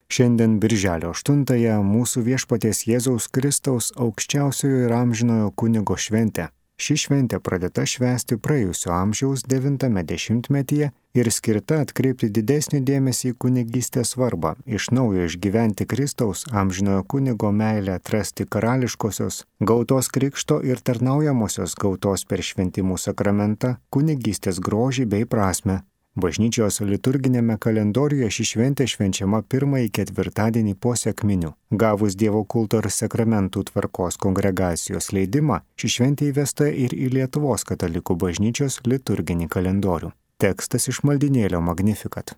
Šiandien birželio 8-ąją mūsų viešpaties Jėzaus Kristaus aukščiausiojo ir amžinojo kunigo šventė. Ši šventė pradėta švęsti praėjusio amžiaus 90-metyje ir skirta atkreipti didesnį dėmesį į kunigystės svarbą, iš naujo išgyventi Kristaus amžinojo kunigo meilę, atrasti karališkosios, gautos krikšto ir tarnaujamosios gautos per šventimų sakramentą, kunigystės grožį bei prasmę. Bažnyčios liturginėme kalendoriuje ši šventė švenčiama pirmąjį ketvirtadienį po sekminių. Gavus Dievo kulto ir sakramentų tvarkos kongregacijos leidimą, ši šventė įvesta ir į Lietuvos katalikų bažnyčios liturginį kalendorių. Tekstas iš maldynėlio Magnificat.